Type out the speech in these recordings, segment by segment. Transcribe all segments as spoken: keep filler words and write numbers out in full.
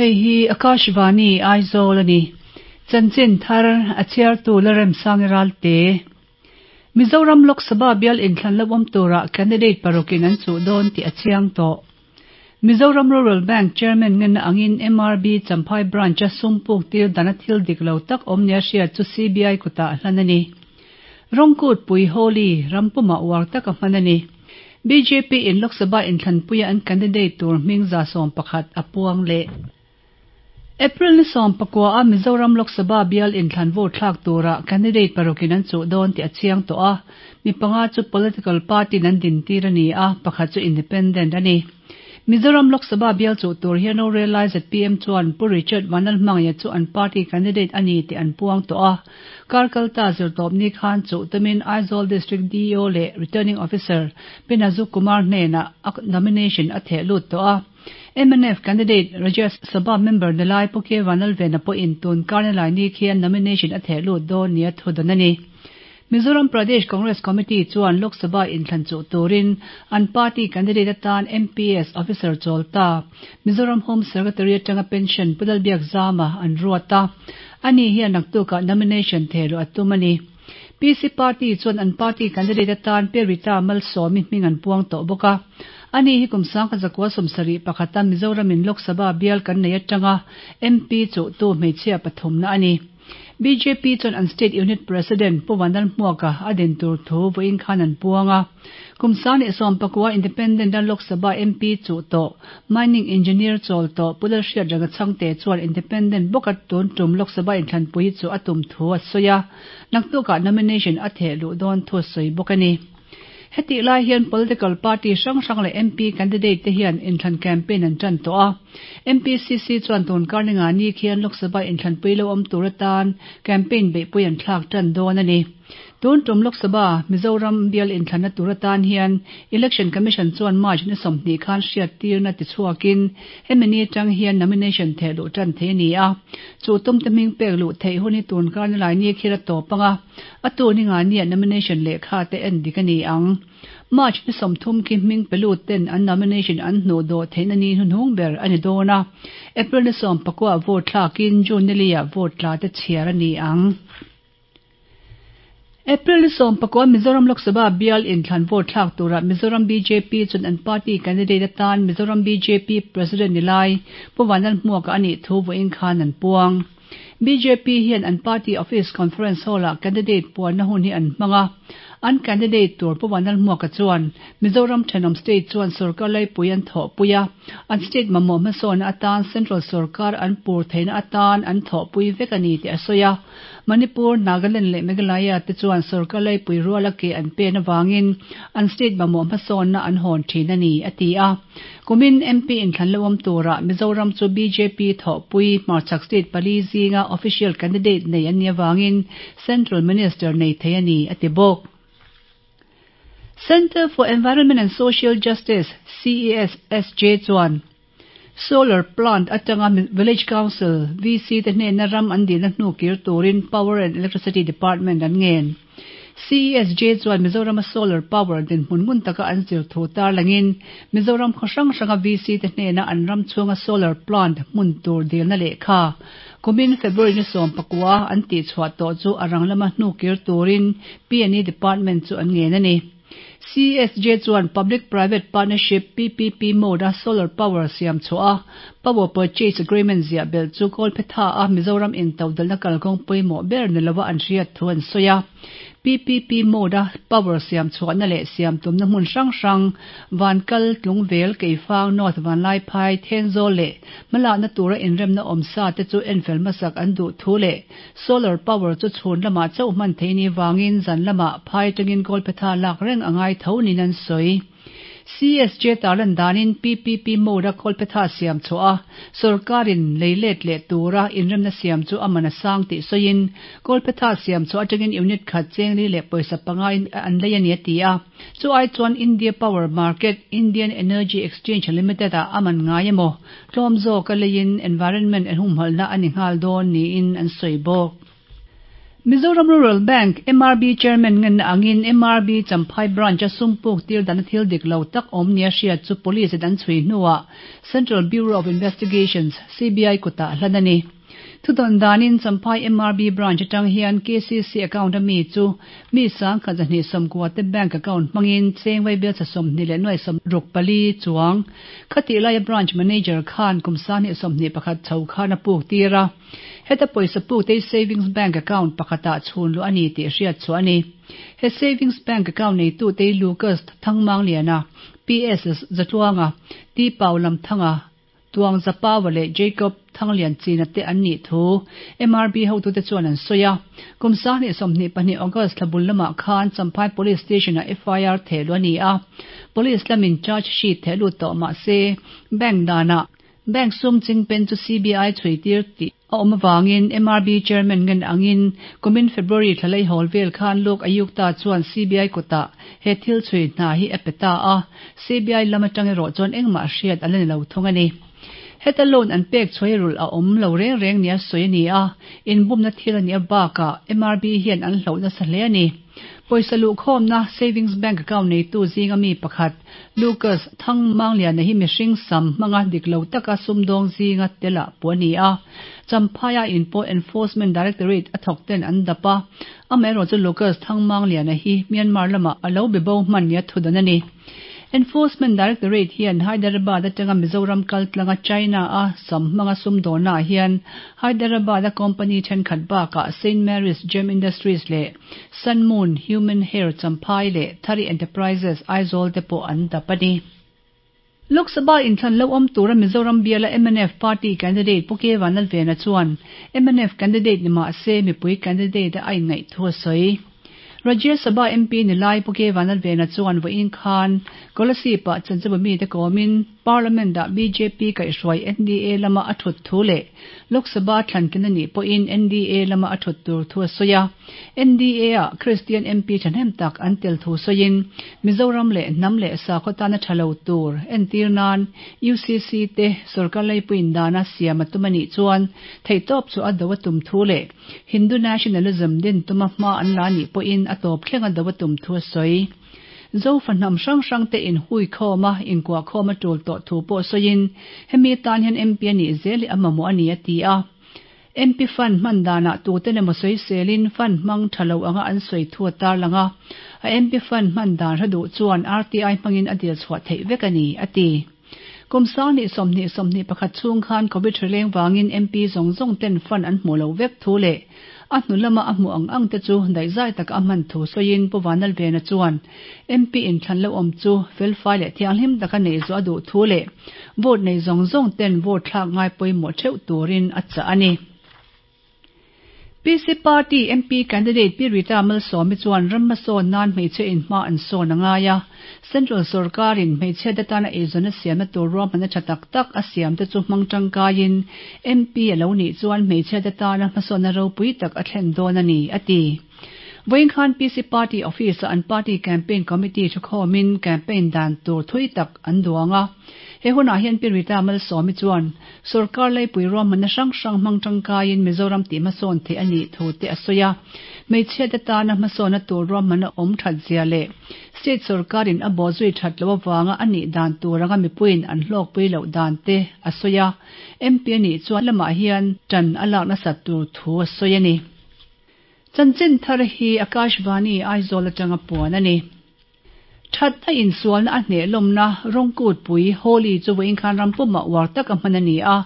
Hei hi Akashvani Aizawl a ni. Chanchin thar a chhiartu Lalremsangi Ralte. Mizoram Lok Sabha bial inthlan lo awm tura candidate parukin an chuh dawn tih a chiang tawh. Mizoram Rural Bank Chairman ngenna angin M R B Champhai Branch-a sum puk tir dana thil dik lo tak awm nia hriat chu C B I kutah hlan a ni. Rawngkut pui Holi rampuma uar taka hman a ni. B J P in Lok Sabha inthlanpuia an candidate tur hming za sawm pakhat a puang leh. April ni sawm pakua a Mizoram Lok Sabha bial inthlan vote thlak tura candidate parukin an chuh dawn tih a chiang tawh a, mi panga chu political party an din tir a ni a, pakhat chu independent a ni. Mizoram Lok Sabha bial chuh tur hian rorel lai Z P M chuan Pu Richard Vanlalhmangaiha chu an party candidate a ni tih an puang tawh a. Kar kalta zirtawp ni khan chuh tumin Aizawl District D E O leh Returning Officer Pinazu Kumar hnenah a nomination a theh lut tawh a. M N F candidate Rajya Sabha member nilai Pu K Vanlalvena pawhin tun karnalai ni khian nomination a theh lut dawn nia thu dawn a ni. Mizoram Pradesh Congress Committee chuan Lok Sabha inthlan chuh turin an party candidate atan M P S officer chawlta Mizoram Home Secretary atanga pension Pu Lalbiakzama an ruat a. Ani hian naktukah nomination thehluh a tum a ni. P C Party chuan an party candidate atan Pi Rita Malsawmi hming an puang tawh bawk a. Ani hi kum sangkhat zakua sawmsarih pakhata Mizoramin Lok Sabha bial kan nei atanga M P chuh tu hmeichhia pathumna a ni. B J P chuan an state unit president Pu Vanlalhmuaka a din tur thu vawiin khan an puang a. Kum sang sawm pakua independent a Lok Sabha M P chuh tawh mining engineer chawl tawh Pu Lalhriatrenga Chhangte chuan independent bawka tun tum Lok Sabha inthlanpui chu a tum thu a sawi a, naktukah nomination a theh luh dawn thu a sawi bawk a ni. Heti lai hian political party hrang hrang leh M P candidate te hian inthlan campaign an tan tawh a. M P C C chuan tun karninga ni khian Lok Sabha inthlanpui lo awm tur atan campaign beihpui an thlak tan dawn a ni. Tun tum Lok Sabha Mizoram bial inthlanna tur atan hian Election Commission chuan March ni sawmhnih khan hriat tirna ti chhuakin hemi ni atang hian nomination theh luh tan thei a ni a. Chu tum te hming pek luh theih hun hi tun karnalai ni khira tawp anga a tu ni nga nia nomination lehkha te en dik a ni ang. March ni sawmthum khi hming pe lut ten an nomination an hnu dawh theihna ni hnuhnung ber a ni dawn a. April ni sawm pakua vote thlakin June ni lia vote tla te chhiar a ni ang. April ni sawm pakua Mizoram Lok Sabha bial inthlan vote thlak tura Mizoram B J P chuan an party candidate atan Mizoram B J P president nilai Pu Vanlalhmuaka ani thu vawiin khan an puang. B J P hian an party office conference hall ah candidate puanna hun hi an hmang a. An candidate tur Pu Vanlalhmuaka chuan Mizoram thenawm state chuan sarkar laipui an thawhpui a, an state mamawh hmasawnna atan central sarkar an pur theihna atan an thawhpui vek a ni tih a sawi a. Manipur, Nagaland leh Meghalaya te chuan sarkar laipui ruala ke an pen awangin an state mamawh hmasawnna an hawn thin a ni a ti a. Kumin M P inthlan lo awm tura Mizoram chu B J P thawhpui hmarchhak state pali zinga official candidate nei an ni awangin central minister nei thei a ni a ti bawk. Center for Environment and Social Justice C E S S J chuan solar plant atanga Village Council V C te hnena ram an dilna hnu kir turin Power and Electricity Department an ngen. C E S J chuan Mizoram a solar power din hmun ngun taka an zir thu tar langin Mizoram khaw hrang hranga V C te hnena an ram chhunga solar plant hmun tur dilna lehkha kumin February ni sawm pakua an tih chhuah tawh chu a rang lama hnu kir turin P and E Department chu an ngen a ni. C S J chuan Public Private Partnership P P P mode a solar power siam chhuah a power purchase agreement ziah bel chu kawlphetha a Mizoram in todalna kalkawng pawimawh ber ni lova an hriat thu an sawi a. P P P mode a power siam chhuahna leh siam tumna hmun hrang hrang Vankal, Tlungvel, Keifang, North Vanlaiphai, Thenzawl leh hmalakna tura inremna awm sa te chu enfel hmasak an duh thu leh solar power chu chhun lamah chauh hman thei ni wangin zan lamah phai tangin kawlphetha lak reng angai tho nin an sawi. C S J tarlan danin P P P mode a kawlphetha siam chhuah a sarkarin leilet leh tura inremna siam chu aman a sang tih sawiin kawlphetha siam chhuah atangin unit khat chengli leh pawisa panga in an lei ani a ti a. Chu ai chuan India Power Market Indian Energy Exchange Limited ah aman ngai emaw tlawm zawk a leiin environment an humhalna ani nghal dawn niin an sawi bawk. Mizoram Rural Bank, M R B, Chairman ngenna angin M R B Champhai Branch-a sum puk tir dana thil dik lo tak awm nia hriat chu Police in an chhui hnuah Central Bureau of Investigations, C B I, kutah hlan a ni. Thudawn danin Champhai M R B Branch atang hian K C C account a mi chu mi sangkhat zahnih sawmkua te bank account hmangin cheng vaibelchhe sawmhnih leh nuai sawmruk pali chuang khatih laia Branch Manager khan kum sanghnih sawmhnih pakhat chho khan a puk tir a. Heta pawisa puk te savings bank account pakhatah chhun luh a ni tih hriat chu a ni. He savings bank account neitu te Lucas Thangmangliana, P S Zatluanga, T Pau Lamthanga, Tuang Zapawa leh Jacob Thanglian China te an nih thu M R B hotute chuan an sawi a. Kum sanghnih sawmhnih pahnih August thla bul lamah khan Champhai Police Station-ah F I R theh luh a ni a. Police lamin charge sheet theh lut tawh mah se bank danah bank sum chingpen chu C B I chhui tir tih a awm awangin M R B Chairman ngen angin kumin February thla lei hawl vel khan Lok Ayukta chuan C B I kutah he thil chhui hna hi a pe ta a. C B I lam atang erawh chuan engmah hriat a la ni lo thung a ni. Heta loan an pek chhuai rulh a awm lo reng reng nia sawi a ni a, inbumna thil a nih bakah M R B hian an hloh nasa hle a ni. Pawisa luhkhawmna savings bank account neitu zinga mi pakhat Lucas Thangmangliana hi mihring sam hmanga dik lo taka sumdawng zinga tela puh a ni a. Champhaia in pawh Enforcement Directorate a thawk ten an dap a. Amaherawhchu Lucas Thangmangliana hi Myanmar lamah a lo be bo hman nia thudawn a ni. Enforcement Directorate hian Hyderabad atanga Mizoram kal tlanga China a sam hmanga sumdawnnaah hian Hyderabad a company thenkhat bakah Saint Mary's Gem Industries leh Sun Moon Human Hair Champhai leh Thari Enterprises Aizawl te pawh an dap a ni. Lok Sabha inthlan lo awm tura Mizoram biala M N F party candidate Pu K Vanlalvena chuan M N F candidate ni mah se mipui candidate a inngaih thu a sawi. Rajya Sabha M P ni lai Pu K Vanlalvena chuan vawiin khan Kolasib-ah chanchinbu mite kawmin Parliament-ah B J P kaihhruai N D A lama a thut thu leh Lok Sabha thlantlin a nih pawhin N D A lama a thut tur thu a sawi a. N D A-ah Christian M P thahnem tak an tel thu sawiin Mizoram leh hnam leh sakhaw tana tha lo tur entir nan U C C te sorkar leipuiin dana siam a tum a nih chuan theihtawp chu a do a tum thu leh Hindu nationalism din tuma hma an la nih pawhin a tawp thleng a do a tum thu a sawi. Zofa hnam hrang hrang te in hui khawm a inkuah khawm a tul tawh thu pawh sawiin hemi tan hian M P a nih zel hi a mamawh a ni a ti a. M P fund hman danah tuten emaw sawiselin fund hmang tha lo anga an sawi thu a tarlang a. A M P fund hman dan hre duh chuan R T I hmangin a dil chhuah theih vek a ni a ti. Kum sanghnih sawmhnih sawmhnih pakhat chhung khan Covid hrileng wangin M P zawng zawng ten fund an hmu lo vek thu leh a hnu lama a hmu ang ang te chu daihzai taka a hman thu sawiin Pu Vanlalvena chuan M P inthlan lo awm chu felfai leh thianghlim taka nei zawh a duh thu leh vote nei zawng zawng ten vote thlak ngai pawimawh theuh turin a chah a ni. P C Party M P candidate Pi Rita Malsawmi chuan ram hmasawn nan hmeichhe in hma an sawn a ngai a. Central sarkarin hmeichhe te tana eizawnna siamna tur ruahmanna tha tak tak a siam te chu hmang tangkaiin M P a lo nih chuan hmeichhe te tana hmasawnna ropui tak a thlen dawn a ni a ti. Vawiin khan P C Party office-ah an party campaign committee thukhawmin campaign dan tur thui tak an duang a. He hunah hian Pi Rita Malsawmi chuan sarkar leipui ruahmanna hrang hrang hmang tangkaiin Mizoram tih hmasawn theih a nih thu te a sawi a. Hmeichhe te tana hmasawnna tur ruahmanna awm that zia leh state sarkarin a bawhzui that lo awanga a nih dan tur anga mipuiin an hlawkpui loh dan te a sawi a. M P a nih chuan lamah hian tan a lak nasat tur thu a sawi a ni. Chanchin thar hi Akashvani Aizawl atanga puan a ni. That a insualna a hneh lawmna rawng pui Holi chu vawiin khan rampumah uar tak a hman a ni a.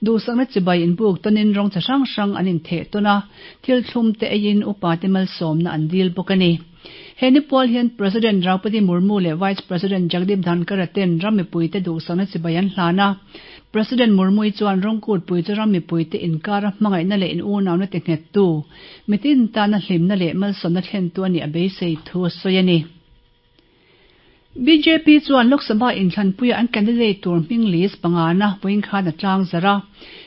Duhsakna chibai inbuk tawnin rawng chi hrang hrang an intheh tawn a, thil thlum te eiin upa te malsawmna an dil bawk a ni. He ni pual hian President Draupadi Murmu leh Vice President Jagdeep Dhankhar ten ram mipui te duhsakna chibai an hlan a. President Murmu chuan rawng pui chu ram mipui te inkara hmangaihna leh in unawna te nghet tu mitin tana hlimna leh malsawmna thlen tu ani a beisei thu a sawi a ni. B J P chuan Lok Sabha inthlanpuia an candidate tur hming list pangana vawiin khan a tlang zar a.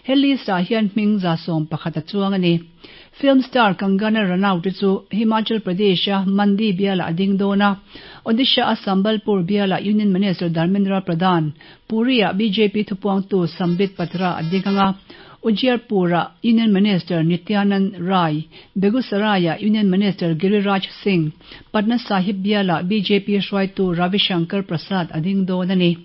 He list ah hian hming za sawm pakhat a chuang a ni. Film star Kangana Ranaut chu Himachal Pradesh a Mandi biala a ding dawn a. Odisha a Sambalpur biala Union Minister Dharmendra Pradhan, Puri a B J P thupuangtu Sambit Patra a ding anga. Ujiarpur-ah Union Minister Nityanand Rai, Begusarai-ah Union Minister Giriraj Singh, Patna Sahib bialah bjp hruaitu Ravi Shankar Prasad a ding dawn a ni.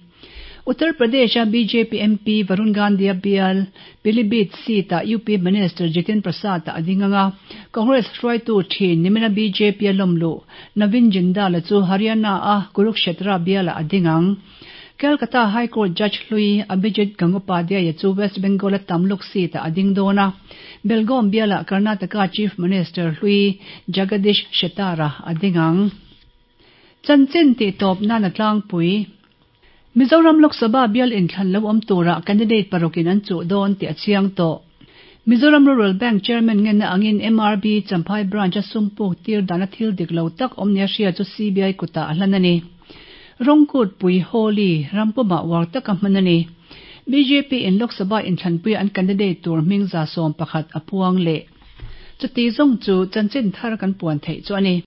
Uttar Pradesh-a bjp MP Varun Gandhi-a bial Pilibhit seat-ah UP Minister Jitin Prasad-a a ding ang a, Congress hruaitu thin nimina bjp-a lawmluh Navin Jindal-a chu Haryana-a Kurukshetra bialah a ding ang. Calcutta High Court Judge hlui Abhijit Gangopadhyay-a chu West Bengal-a Tamluk seat-ah a ding dawn a, Belgaum bialah Karnataka Chief Minister hlui Jagadish Shettar-a a ding ang. Chanchin tihtawp nan a tlangpui. Mizoram Lok Sabha bial inthlan lo awm turah candidate parukin an chuh dawn tih a chiang tawh. Mizoram Rural Bank Chairman ngenna angin MRB Champhai Branch-a sum puk tir dana thil dik lo tak awm nia hria chu CBI kutah a hlan a ni. Rawngkutpui Holi rampumah uar taka hman a ni. Bjp in Lok Sabha inthlanpuia an candidate tur hming za sawm pakhat a puang leh. Chuti zawng chu chanchin thar kan puan theih chu a ni.